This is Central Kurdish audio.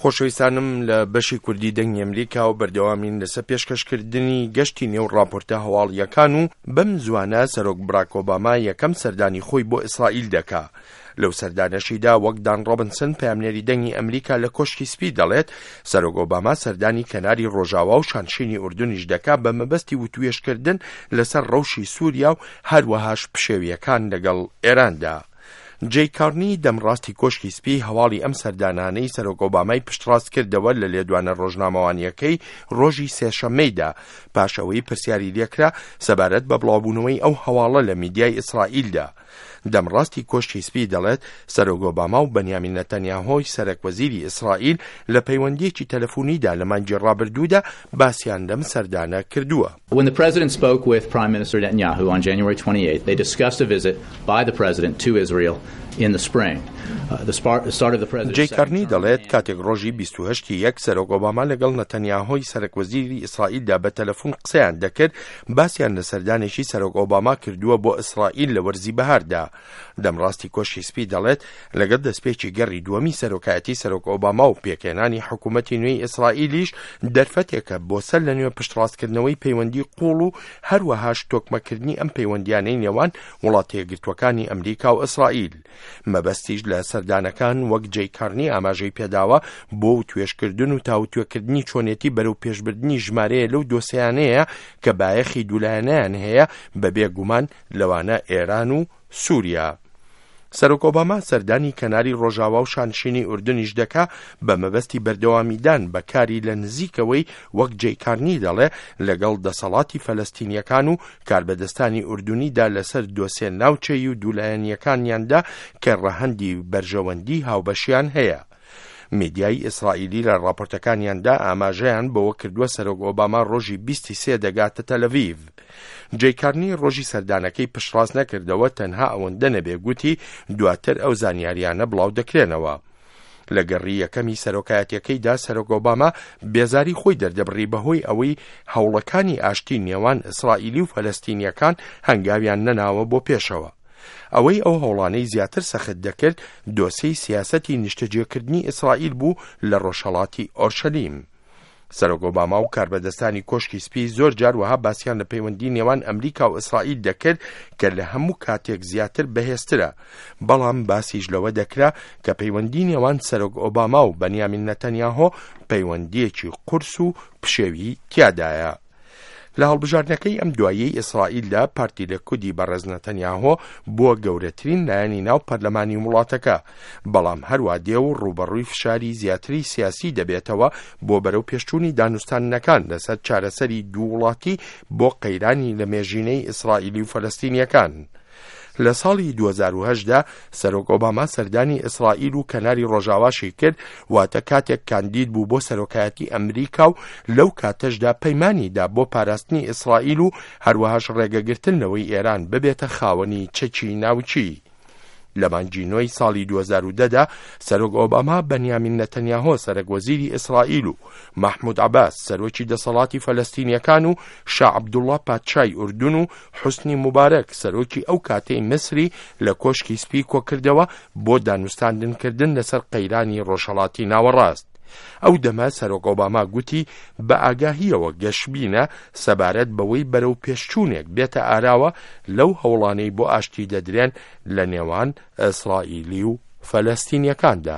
خۆشەویستانم لە بەشی کوردی دەنگی ئەمریکا و بەردەوامین لەسەر پێشکەشکردنی گەشتی نێو ڕاپۆرتە هەواڵییەکان و بەم زوانە سەرۆک براک ئۆباما یەکەم سەردانی خۆی بۆ ئیسرائیل دەکا. لەو سەردانەشیدا وەک دان ڕۆبنسن پەیامنێری دەنگی ئەمریکا لە کۆشکی سپی دەڵێت سەرۆک ئۆباما سەردانی کەناری ڕۆژاوا و شانشینی ئوردنیش دەکا بە مەبەستی وتوێژکردن لەسەر ڕەوشی سووریا و هەروەهاش پشێوییەکان لەگەڵ ئێراندا. جەی کارنی دەمڕاستی کۆشکی سپی هەواڵی ئەم سەردانانەی سەرۆک ئۆبامای پشتڕاست کردەوە لە لێدوانە ڕۆژنامەوانییەکەی ڕۆژی سێشەممەیدا پاش ئەوەی پرسیاری لێکرا سەبارەت بە بڵاوبوونەوەی ئەو هەواڵە لە میدیای ئیسرائیلدا. دەمڕاستی کۆشکی سپی دەڵێت سەرۆک ئۆباما و بەنیامین نەتەنیاهۆی سەرەک وەزیری ئیسرائیل لە پەیوەندییەکی تەلەفونیدا لە مانگی ڕابردوودا باسیان لەم سەردانە کردووە. When the president spoke with Prime Minister Netanyahu on January 28th, they discussed a visit by the president to Israel in the spring. The start of the president's جەی کارنی دەڵێت کاتێک ڕۆژی 28 ی یەک سەرۆک ئۆباما لەگەڵ نەتەنیاهۆی سەرەک وەزیری ئیسرائیلدا بە تەلەفون قسەیان دەکرد باسیان لە سەردانێکی سەرۆک ئۆباما کردووە بۆ ئیسرائیل لە وەرزی بەهاردا. دەمڕاستی کۆشکی سپی دەڵێت لەگەڵ دەستپێکی گەڕی دووەمی سەرۆکایەتی سەرۆک ئۆباما و پێکهێنانی حکوومەتی نوێی ئیسرائیلیش دەرفەتێکە بۆ سەر لە نوێ پشتڕاستکردنەوەی پەیوەندی قوڵ و هەروەهاش تۆکمەکردنی ئەم پەیوەندیانەی نێوان وڵاتە یەکگرتووەکانی ئەمریکا و ئیسرائیل. مەبەستیش لە سەردانەکان وەک جەی کارنی ئاماژەی پێداوە بۆ وتوێژکردن و تاوتوێکردنی چۆنێتی بەرەو پێشبردنی ژمارەیە لەو دۆسیانەیە کە بایەخی دوولایەنەیان هەیە بەبێ گومان لەوانە ئێران و سووریا. سەرۆک ئۆباما سەردانی کەناری ڕۆژاوا و شانشینی ئوردنیش دەکا بە مەبەستی بەردەوامیدان بە کاری لە نزیکەوەی وەک جەی کارنی دەڵێ لەگەڵ دەسەڵاتی فەلەستینیەکان و کاربەدەستانی ئوردنیدا لەسەر دۆسێ ناوچەیی و دوولایەنیەکانیاندا کە ڕەهەندی بەرژەوەندی هاوبەشیان هەیە. میدیای ئیسرائیلی لە ڕاپۆرتەکانیاندا ئاماژەیان بەوە کردووە سەرۆک ئۆباما ڕۆژی 23 دەگاتە تەلەڤیڤ. جەی کارنی ڕۆژی سەردانەکەی پشتڕاست نەکردەوە تەنها ئەوەندە نەبێ گوتی دواتر ئەو زانیاریانە بڵاو دەکرێنەوە. لە گەڕی یەکەمی سەرۆکایەتیەکەیدا سەرۆک ئۆباما بێزاری خۆی دەردەبڕی بەهۆی ئەوەی هەوڵەکانی ئاشتی نێوان ئیسرائیلی و فەلەستینیەکان هەنگاویان نەناوە بۆ پێشەوە. ئەوەی ئەو هەوڵانەی زیاتر سەخت دەکرد دۆسێی سیاسەتی نیشتەجێکردنی ئیسرائیل بوو لە ڕۆژهەڵاتی ئۆرشەلیم. سەرۆک ئۆباما و کاربەدەستانی کۆشکی سپی زۆر جار وەها باسیان لە پەیوەندی نێوان ئەمریکا و ئیسرائیل دەکرد کە لە هەموو کاتێک زیاتر بەهێزترە، بەڵام باسیش لەوە دەکرا کە پەیوەندی نێوان سەرۆک ئۆباما و بەنیامین نەتەنیاهۆ پەیوەندییەکی قورس و پشێوی تیادایە. لە هەڵبژاردنەکەی ئەم دواییەی ئیسرائیلدا پارتی لەکودی بەڕێز نەتەنیاهۆ بووە گەورەترین لایەنی ناو پەرلەمانی وڵاتەکە، بەڵام هەروا دێ و ڕووبەڕووی فشاری زیاتری سیاسی دەبێتەوە بۆ بەرەوپێشچوونی دانوستاندنەکان لەسەر چارەسەری دوو وڵاتی بۆ قەیرانی لەمێژینەی ئیسرائیلی و فەلەستینییەکان. لە ساڵی 2008 دا سەرۆک ئۆباما سەردانی ئیسرائیل و کەناری ڕۆژاواشی کرد، واتە کاتێک کاندید بوو بۆ سەرۆکایەتی ئەمریکا و لەو کاتەشدا پەیمانی دا بۆ پاراستنی ئیسرائیل و هەروەهاش ڕێگەگرتن لەوەی ئێران ببێتە خاوەنی چەکی ناوکی. لە مانگی نۆی ساڵی 2010 دا سەرۆک ئۆباما بەنیامین نەتەنیاهۆ سەرەک وەزیری ئیسرائیل و مەحمود عەباس سەرۆکی دەسەڵاتی فەلەستینیەکان و شا عەبدوڵڵا پادشای ئوردون و حوسنی موبارەک سەرۆکی ئەو کاتەی میسری لە کۆشکی سپی کۆکردەوە بۆ دانوستاندنکردن لەسەر قەیرانی ڕۆژهەڵاتی ناوەڕاست. ئەو دەمە سەرۆک ئۆباما گوتی بە ئاگاهییەوە گەشبینە سەبارەت بەوەی بەرەو پێشچوونێک بێتە ئاراوە لەو هەوڵانەی بۆ ئاشتی دەدرێن لە نێوان ئیسرائیلی و فەلەستینیەکاندا.